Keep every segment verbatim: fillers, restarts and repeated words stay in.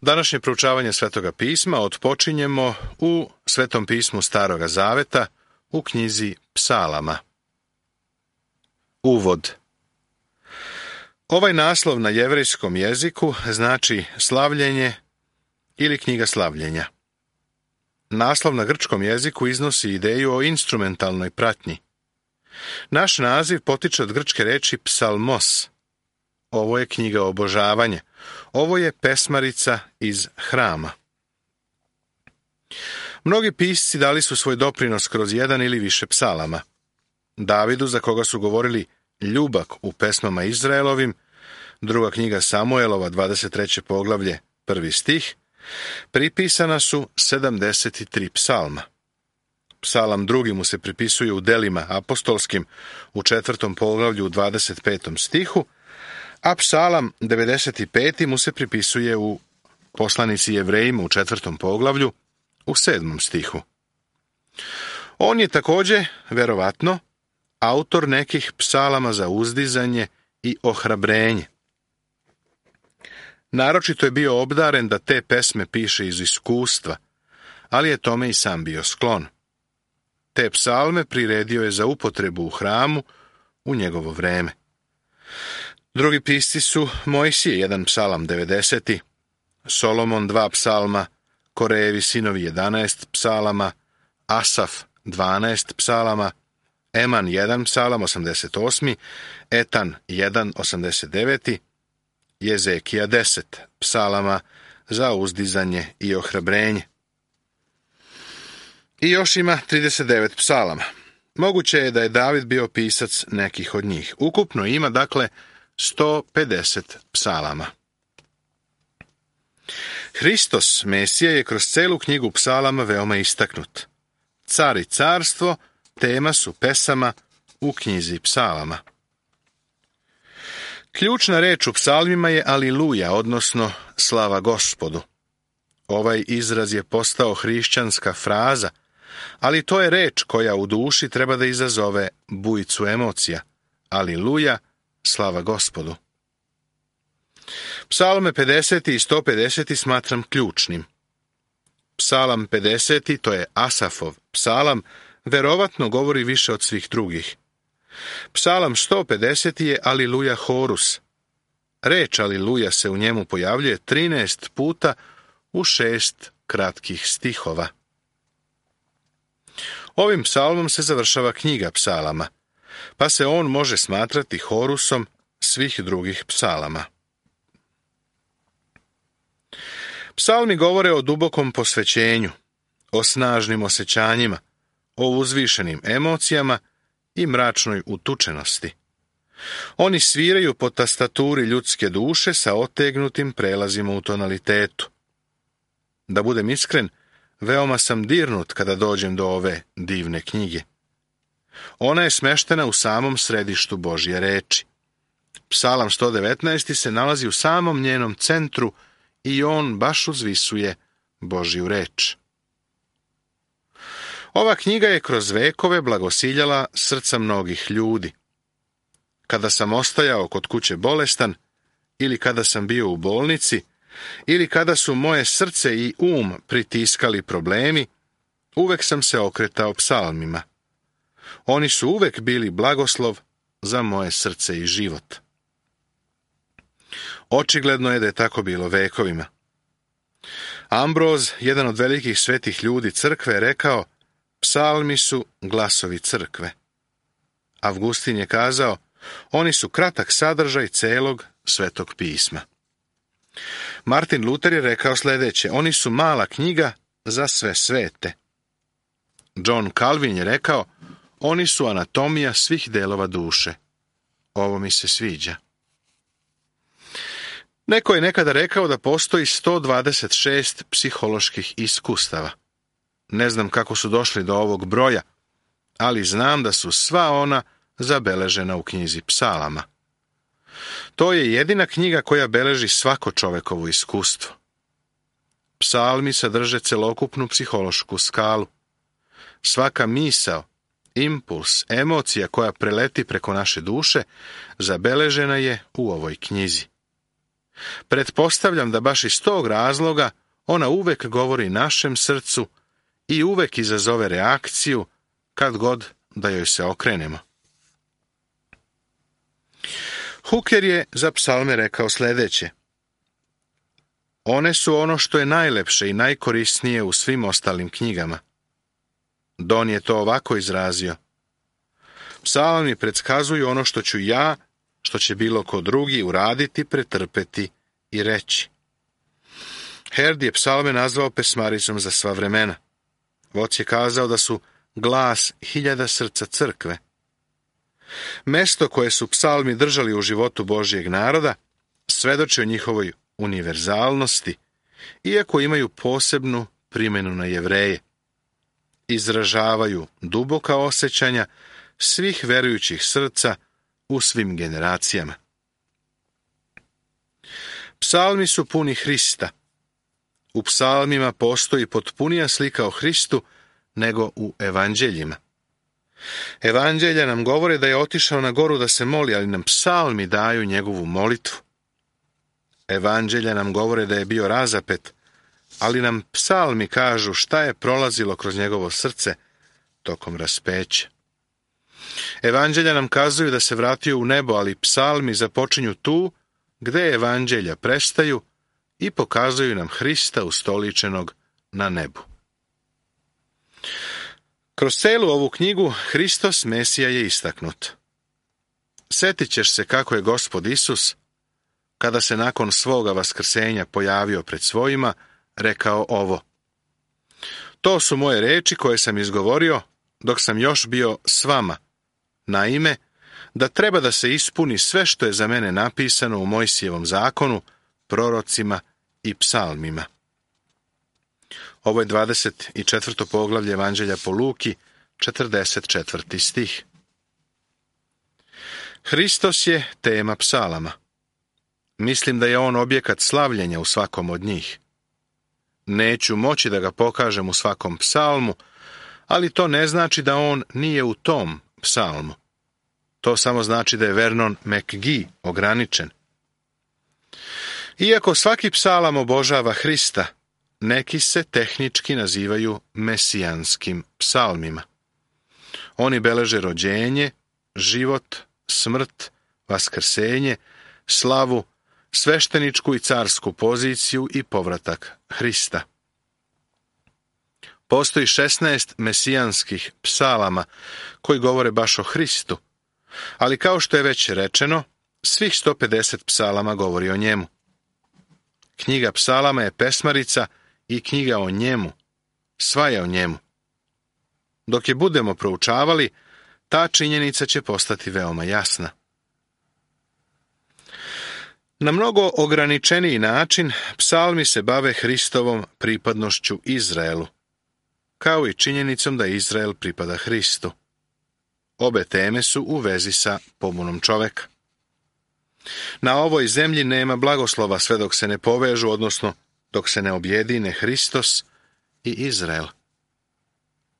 Današnje proučavanje Svetoga pisma otpočinjemo u Svetom pismu Staroga zaveta u knjizi Psalama. Uvod. Ovaj naslov na jevrejskom jeziku znači slavljenje ili knjiga slavljenja. Naslov na grčkom jeziku iznosi ideju o instrumentalnoj pratnji. Naš naziv potiče od grčke reči psalmos. Ovo je knjiga obožavanja. Ovo je pesmarica iz hrama. Mnogi pisci dali su svoj doprinos kroz jedan ili više psalama. Davidu, za koga su govorili ljubak u pesmama Izraelovim, druga knjiga Samuelova, dvadeset treće poglavlje, prvi stih, pripisana su sedamdeset tri psalma. Psalam drugi mu se pripisuje u delima apostolskim u četvrtom poglavlju u dvadeset petom stihu, a psalam devedeset pet mu se pripisuje u poslanici Jevrejima u četvrtom poglavlju u sedmom stihu. On je također, verovatno, autor nekih psalama za uzdizanje i ohrabrenje. Naročito je bio obdaren da te pesme piše iz iskustva, ali je tome i sam bio sklon. Te psalme priredio je za upotrebu u hramu u njegovo vreme. Drugi pisci su Mojsije, jedan psalam devedeseti, Solomon dva psalma, Korejevi sinovi jedanaest psalama, Asaf dvanaest psalama, Eman jedan psalam osamdeset osmi, Etan jedan osamdeset deveti, Jezekija deset psalama za uzdizanje i ohrabrenje. I još ima trideset devet psalama. Moguće je da je David bio pisac nekih od njih. Ukupno ima, dakle, sto pedeset psalama. Hristos, Mesija, je kroz celu knjigu psalama veoma istaknut. Car i carstvo tema su pesama u knjizi psalama. Ključna reč u psalmima je aliluja, odnosno slava Gospodu. Ovaj izraz je postao hrišćanska fraza, ali to je reč koja u duši treba da izazove bujicu emocija. Aliluja, slava Gospodu. Psalme pedeset i sto pedeset smatram ključnim. Psalam pedeset, to je Asafov psalam, verovatno govori više od svih drugih. Psalam sto pedeset je Aliluja horus. Reč aliluja se u njemu pojavljuje trinaest puta u šest kratkih stihova. Ovim psalmom se završava knjiga psalama, pa se on može smatrati horusom svih drugih psalama. Psalmi govore o dubokom posvećenju, o snažnim osjećanjima, o uzvišenim emocijama i mračnoj utučenosti. Oni sviraju po tastaturi ljudske duše sa otegnutim prelazima u tonalitetu. Da budem iskren, veoma sam dirnut kada dođem do ove divne knjige. Ona je smeštena u samom središtu Božje reči. Psalam sto devetnaest se nalazi u samom njenom centru i on baš uzvisuje Božju reč. Ova knjiga je kroz vekove blagosiljala srca mnogih ljudi. Kada sam ostajao kod kuće bolestan, ili kada sam bio u bolnici, ili kada su moje srce i um pritiskali problemi, uvek sam se okretao psalmima. Oni su uvek bili blagoslov za moje srce i život. Očigledno je da je tako bilo vekovima. Ambroz, jedan od velikih svetih ljudi crkve, je rekao: psalmi su glasovi crkve. Avgustin je kazao: oni su kratak sadržaj celog Svetog pisma. Martin Luter je rekao sljedeće: oni su mala knjiga za sve svete. John Calvin je rekao: oni su anatomija svih delova duše. Ovo mi se sviđa. Neko je nekada rekao da postoji sto dvadeset šest psiholoških iskustava. Ne znam kako su došli do ovog broja, ali znam da su sva ona zabeležena u knjizi psalama. To je jedina knjiga koja beleži svako čovekovo iskustvo. Psalmi sadrže celokupnu psihološku skalu. Svaka misao, impuls, emocija koja preleti preko naše duše zabeležena je u ovoj knjizi. Pretpostavljam da baš iz tog razloga ona uvek govori našem srcu i uvek izazove reakciju kad god da joj se okrenemo. Hooker je za psalme rekao sljedeće: one su ono što je najlepše i najkorisnije u svim ostalim knjigama. Don je to ovako izrazio: psalmi predskazuju ono što ću ja, što će bilo ko drugi uraditi, pretrpeti i reći. Herd je psalme nazvao pesmaricom za sva vremena. Voc je kazao da su glas hiljada srca crkve. Mesto koje su psalmi držali u životu Božjeg naroda svedoči o njihovoj univerzalnosti, iako imaju posebnu primjenu na Jevreje. Izražavaju duboka osjećanja svih verujućih srca u svim generacijama. Psalmi su puni Hrista. U psalmima postoji potpunija slika o Hristu nego u evanđeljima. Evanđelja nam govore da je otišao na goru da se moli, ali nam psalmi daju njegovu molitvu. Evanđelja nam govore da je bio razapet, ali nam psalmi kažu šta je prolazilo kroz njegovo srce tokom raspeća. Evanđelja nam kazuju da se vratio u nebo, ali psalmi započinju tu gde evanđelja prestaju i pokazuju nam Hrista ustoličenog na nebu. Kroz celu ovu knjigu Hristos Mesija je istaknut. Sjetit ćeš se kako je Gospod Isus, kada se nakon svoga vaskrsenja pojavio pred svojima, rekao ovo: to su moje reči koje sam izgovorio dok sam još bio s vama, naime, da treba da se ispuni sve što je za mene napisano u Mojsijevom zakonu, prorocima i psalmima. Ovo je dvadeset četvrto poglavlje Evanđelja po Luki, četrdeset četvrti stih. Hristos je tema psalama. Mislim da je on objekat slavljenja u svakom od njih. Neću moći da ga pokažem u svakom psalmu, ali to ne znači da on nije u tom psalmu. To samo znači da je Vernon McGee ograničen. Iako svaki psalam obožava Hrista, neki se tehnički nazivaju mesijanskim psalmima. Oni beleže rođenje, život, smrt, vaskrsenje, slavu, svešteničku i carsku poziciju i povratak Hrista. Postoji šesnaest mesijanskih psalama koji govore baš o Hristu, ali kao što je već rečeno, svih sto pedeset psalama govori o njemu. Knjiga psalama je pesmarica i knjiga o njemu, sva je o njemu. Dok je budemo proučavali, ta činjenica će postati veoma jasna. Na mnogo ograničeniji način psalmi se bave Hristovom pripadnošću Izraelu, kao i činjenicom da Izrael pripada Hristu. Obe teme su u vezi sa pobunom čoveka. Na ovoj zemlji nema blagoslova sve dok se ne povežu, odnosno dok se ne objedine Hristos i Izrael.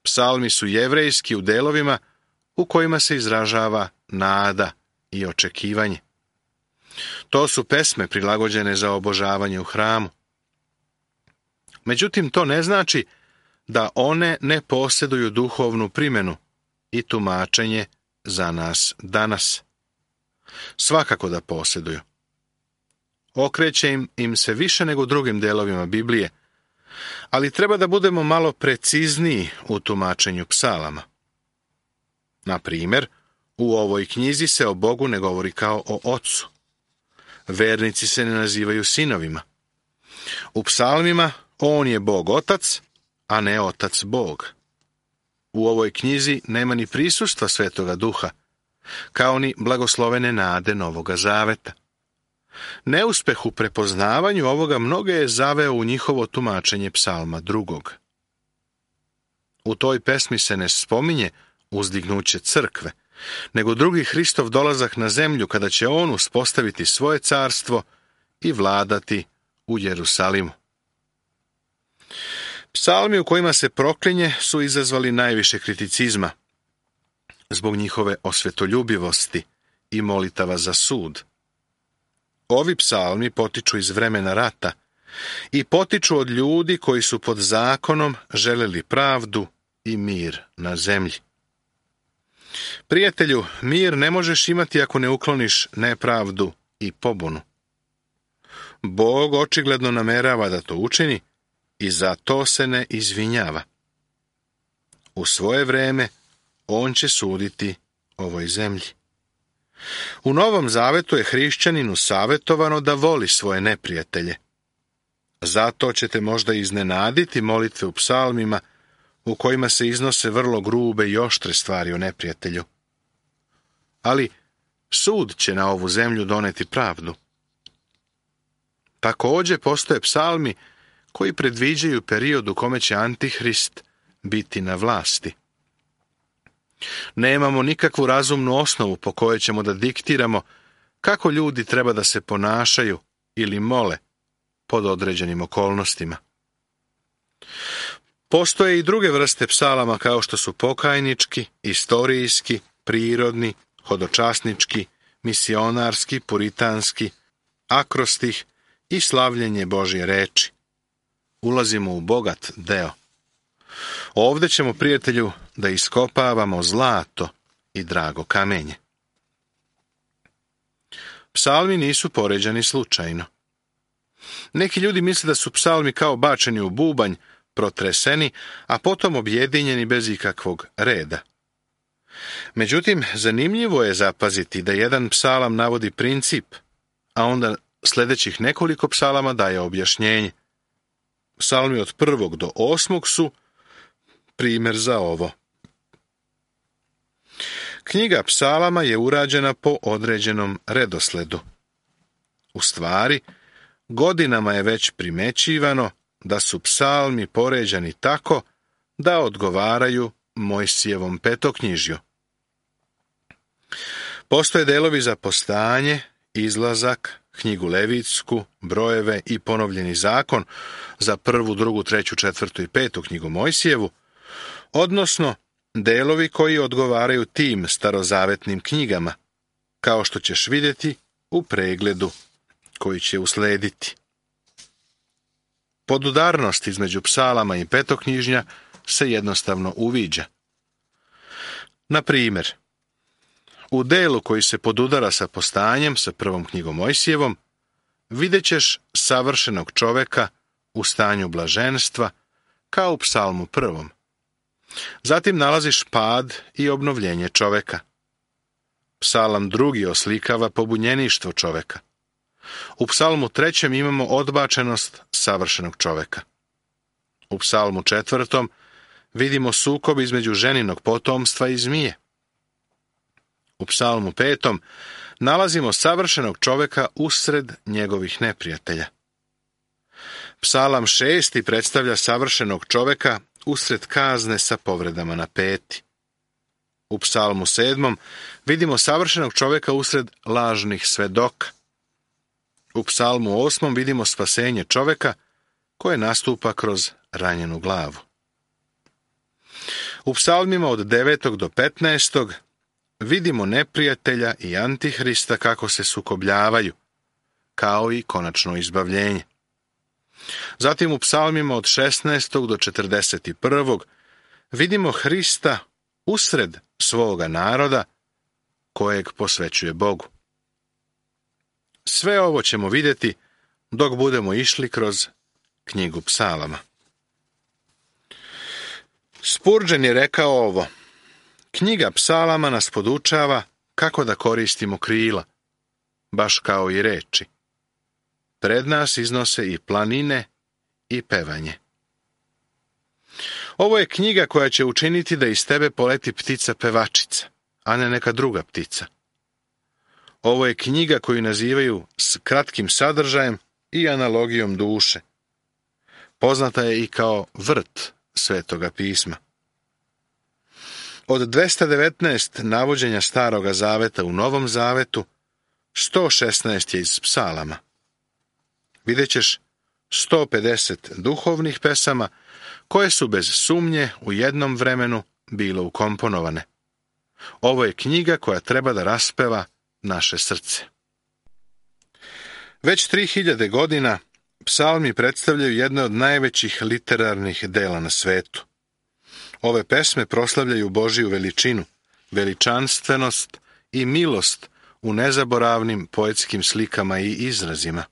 Psalmi su jevrejski u delovima u kojima se izražava nada i očekivanje. To su pesme prilagođene za obožavanje u hramu. Međutim, to ne znači da one ne posjeduju duhovnu primjenu i tumačenje za nas danas. Svakako da posjeduju. Okreće im, im se više nego drugim delovima Biblije, ali treba da budemo malo precizniji u tumačenju psalama. Na primjer, u ovoj knjizi se o Bogu ne govori kao o ocu. Vernici se ne nazivaju sinovima. U psalmima on je Bog otac, a ne otac Bog. U ovoj knjizi nema ni prisustva Svetoga Duha, kao ni blagoslovene nade Novoga Zaveta. Neuspeh u prepoznavanju ovoga mnoge je zaveo u njihovo tumačenje psalma drugog. U toj pesmi se ne spominje uzdignuće crkve, nego drugi Hristov dolazak na zemlju kada će on uspostaviti svoje carstvo i vladati u Jerusalimu. Psalmi u kojima se proklinje su izazvali najviše kriticizma zbog njihove osvetoljubivosti i molitava za sud. Ovi psalmi potiču iz vremena rata i potiču od ljudi koji su pod zakonom želeli pravdu i mir na zemlji. Prijatelju, mir ne možeš imati ako ne ukloniš nepravdu i pobunu. Bog očigledno namerava da to učini i za to se ne izvinjava. U svoje vreme on će suditi ovoj zemlji. U Novom Zavetu je hrišćaninu savjetovano da voli svoje neprijatelje. Zato ćete možda iznenaditi molitve u psalmima u kojima se iznose vrlo grube i oštre stvari o neprijatelju. Ali sud će na ovu zemlju doneti pravdu. Također postoje psalmi koji predviđaju period u kome će Antihrist biti na vlasti. Nemamo nikakvu razumnu osnovu po kojoj ćemo da diktiramo kako ljudi treba da se ponašaju ili mole pod određenim okolnostima. Postoje i druge vrste psalama kao što su pokajnički, istorijski, prirodni, hodočasnički, misionarski, puritanski, akrostih i slavljenje Božje reči. Ulazimo u bogat deo. Ovdje ćemo, prijatelju, da iskopavamo zlato i drago kamenje. Psalmi nisu poređani slučajno. Neki ljudi misle da su psalmi kao bačeni u bubanj, protreseni, a potom objedinjeni bez ikakvog reda. Međutim, zanimljivo je zapaziti da jedan psalam navodi princip, a onda sljedećih nekoliko psalama daje objašnjenje. Psalmi od prvog do osmog su primjer za ovo. Knjiga psalama je urađena po određenom redosledu. U stvari, godinama je već primećivano da su psalmi poređani tako da odgovaraju Mojsijevom petoknjižju. Postoje delovi za postanje, izlazak, knjigu Levitsku, brojeve i ponovljeni zakon za prvu, drugu, treću, četvrtu i petu knjigu Mojsijevu, odnosno delovi koji odgovaraju tim starozavetnim knjigama, kao što ćeš vidjeti u pregledu koji će uslediti. Podudarnost između psalama i petoknjižnja se jednostavno uviđa. Na primjer, u delu koji se podudara sa postanjem, sa prvom knjigom Mojsijevom, vidjet ćeš savršenog čoveka u stanju blaženstva, kao u psalmu prvom. Zatim nalaziš pad i obnovljenje čoveka. Psalam drugi oslikava pobunjeništvo čoveka. U psalmu trećem imamo odbačenost savršenog čoveka. U psalmu četvrtom vidimo sukob između ženinog potomstva i zmije. U psalmu petom nalazimo savršenog čoveka usred njegovih neprijatelja. Psalam šesti predstavlja savršenog čoveka usred kazne sa povredama na peti. U psalmu sedmom vidimo savršenog čoveka usred lažnih svedoka. U psalmu osmom vidimo spasenje čoveka koje nastupa kroz ranjenu glavu. U psalmima od devetog do petnaestog vidimo neprijatelja i Antihrista kako se sukobljavaju, kao i konačno izbavljenje. Zatim u psalmima od šesnaestog do četrdeset prvog vidimo Hrista usred svoga naroda kojeg posvećuje Bogu. Sve ovo ćemo vidjeti dok budemo išli kroz knjigu psalama. Spurgeon je rekao ovo: knjiga psalama nas podučava kako da koristimo krila, baš kao i reči. Pred nas iznose i planine i pevanje. Ovo je knjiga koja će učiniti da iz tebe poleti ptica pevačica, a ne neka druga ptica. Ovo je knjiga koju nazivaju s kratkim sadržajem i analogijom duše. Poznata je i kao vrt Svetoga pisma. Od dvesta devetnaest navođenja Staroga zaveta u Novom zavetu, sto šesnaest je iz psalama. Vidjet ćeš sto pedeset duhovnih pesama koje su bez sumnje u jednom vremenu bile ukomponovane. Ovo je knjiga koja treba da raspeva naše srce. Već tri hiljade godina psalmi predstavljaju jedne od najvećih literarnih dela na svetu. Ove pesme proslavljaju Božiju veličinu, veličanstvenost i milost u nezaboravnim poetskim slikama i izrazima.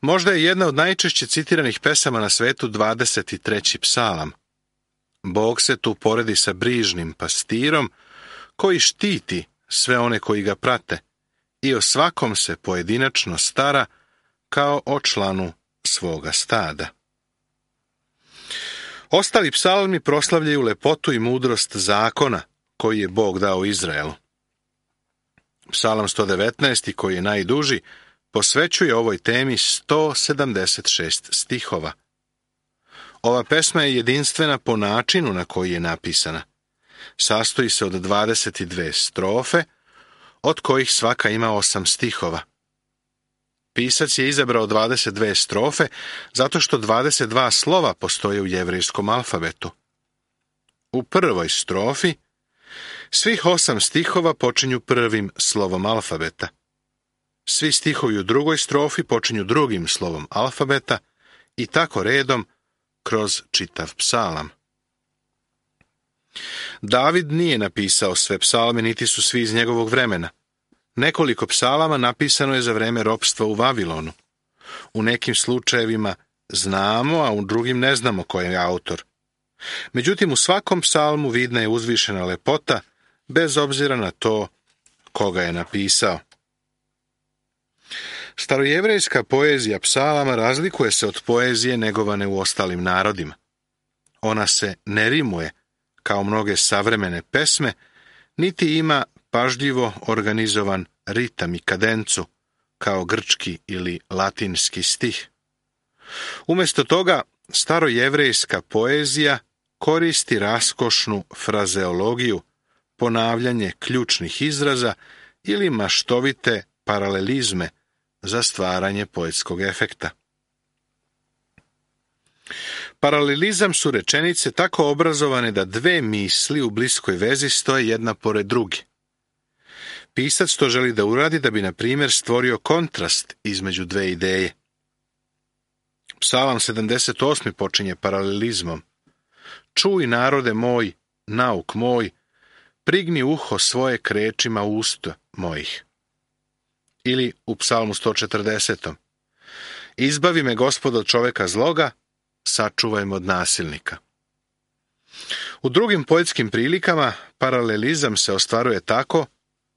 Možda je jedna od najčešće citiranih pesama na svetu dvadeset treći psalam. Bog se tu poredi sa brižnim pastirom koji štiti sve one koji ga prate i o svakom se pojedinačno stara kao o članu svoga stada. Ostali psalmi proslavljaju lepotu i mudrost zakona koji je Bog dao Izraelu. Psalam sto devetnaest, koji je najduži, posvećuje ovoj temi sto sedamdeset šest stihova. Ova pesma je jedinstvena po načinu na koji je napisana. Sastoji se od dvadeset dve strofe, od kojih svaka ima osam stihova. Pisac je izabrao dvadeset dve strofe zato što dvadeset dva slova postoje u jevrejskom alfabetu. U prvoj strofi svih osam stihova počinju prvim slovom alfabeta. Svi stihovi u drugoj strofi počinju drugim slovom alfabeta i tako redom kroz čitav psalam. David nije napisao sve psalme, niti su svi iz njegovog vremena. Nekoliko psalama napisano je za vreme ropstva u Vavilonu. U nekim slučajevima znamo, a u drugim ne znamo ko je autor. Međutim, u svakom psalmu vidna je uzvišena lepota, bez obzira na to koga je napisao. Starojevrejska poezija psalama razlikuje se od poezije negovane u ostalim narodima. Ona se ne rimuje, kao mnoge savremene pesme, niti ima pažljivo organizovan ritam i kadencu, kao grčki ili latinski stih. Umjesto toga, starojevrejska poezija koristi raskošnu frazeologiju, ponavljanje ključnih izraza ili maštovite paralelizme za stvaranje poetskog efekta. Paralelizam su rečenice tako obrazovane da dve misli u bliskoj vezi stoje jedna pored druge. Pisac to želi da uradi da bi, na primjer, stvorio kontrast između dve ideje. Psalam sedamdeset osmi počinje paralelizmom. Čuj, narode moj, nauk moj, prigni uho svoje k rečima usta mojih. Ili u psalmu sto četrdesetom Izbavi me, Gospod, od čoveka zloga, sačuvaj me od nasilnika. U drugim poetskim prilikama paralelizam se ostvaruje tako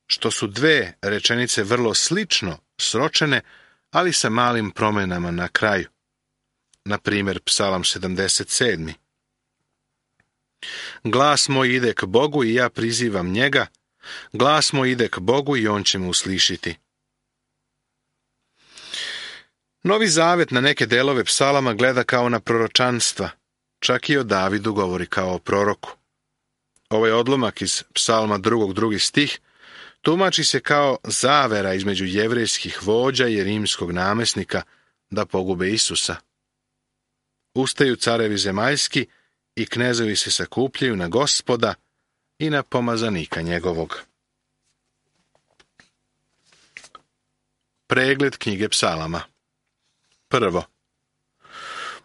što su dve rečenice vrlo slično sročene, ali sa malim promenama na kraju. Na primjer, psalam sedamdeset sedmi Glas moj ide k Bogu i ja prizivam njega, glas moj ide k Bogu i on će me uslišiti. Novi Zavet na neke delove psalama gleda kao na proročanstva, čak i o Davidu govori kao o proroku. Ovaj odlomak iz psalma drugog drugi stih tumači se kao zavera između jevrejskih vođa i rimskog namesnika da pogube Isusa. Ustaju carevi zemaljski i knezovi se sakupljaju na Gospoda i na pomazanika njegovog. Pregled knjige psalama. Prvo.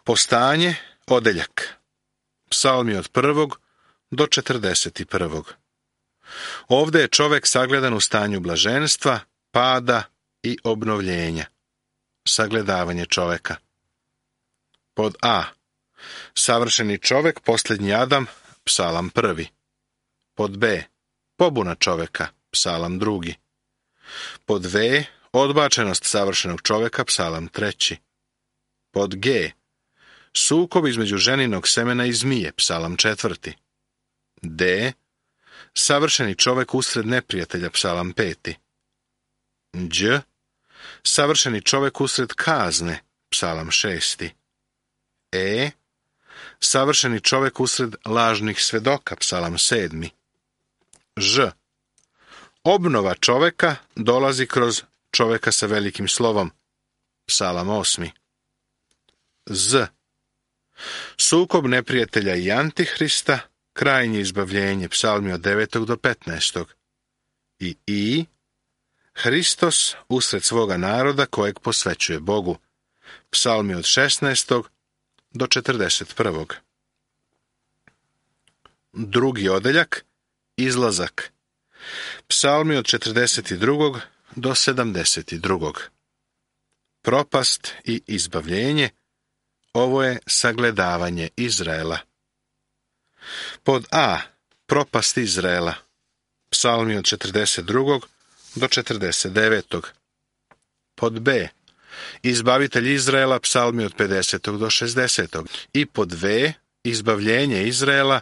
Postanje, odeljak. Psalmi od prvog do četrdeset prvog. Ovdje je čovek sagledan u stanju blaženstva, pada i obnovljenja. Sagledavanje čoveka. Pod A. Savršeni čovek, posljednji Adam, psalam prvi. Pod B. Pobuna čoveka, psalam drugi. Pod V. Odbačenost savršenog čoveka, psalam treći. Pod G. Sukob između ženinog semena i zmije, psalam četvrti. D. Savršeni čovek usred neprijatelja, psalam peti. Đ. Savršeni čovek usred kazne, psalam šesti. E. Savršeni čovek usred lažnih svedoka, psalam sedmi. Ž. Obnova čoveka dolazi kroz čoveka sa velikim slovom, psalam osmi. Z. Sukob neprijatelja i antihrista, krajnje izbavljenje, psalmi od devetog do petnaestog. I I. Hristos usred svoga naroda kojeg posvećuje Bogu. Psalmi od šesnaestog do četrdeset prvog. Drugi odeljak, izlazak. Psalmi od četrdeset drugog do sedamdeset drugog. Propast i izbavljenje. Ovo je sagledavanje Izraela. Pod A. Propast Izraela. Psalmi od četrdeset drugog do četrdeset devetog. Pod B. Izbavitelj Izraela, psalmi od pedesetog do šezdesetog. I pod V. Izbavljenje Izraela,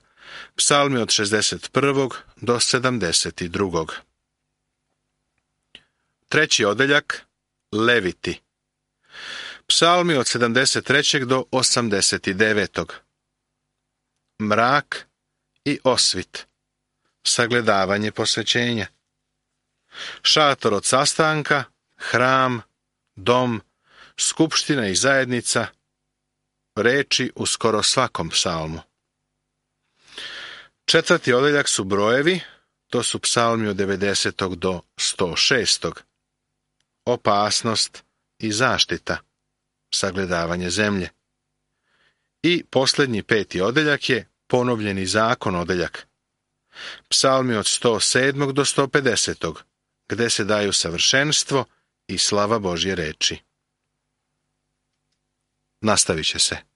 psalmi od šezdeset prvog do sedamdeset drugog. Treći odeljak, Leviti. Psalmi od sedamdeset trećeg do osamdeset devetog. Mrak i osvit. Sagledavanje posvećenja. Šator od sastanka, hram, dom, skupština i zajednica, reči u skoro svakom psalmu. Četvrti odeljak su brojevi, to su psalmi od devedesetog do sto šestog. Opasnost i zaštita, sagledavanje zemlje. I posljednji peti odeljak je ponovljeni zakon odeljak. Psalmi od sto sedmog do sto pedesetog, gde se daju savršenstvo i slava Božje reči. Nastavit će se.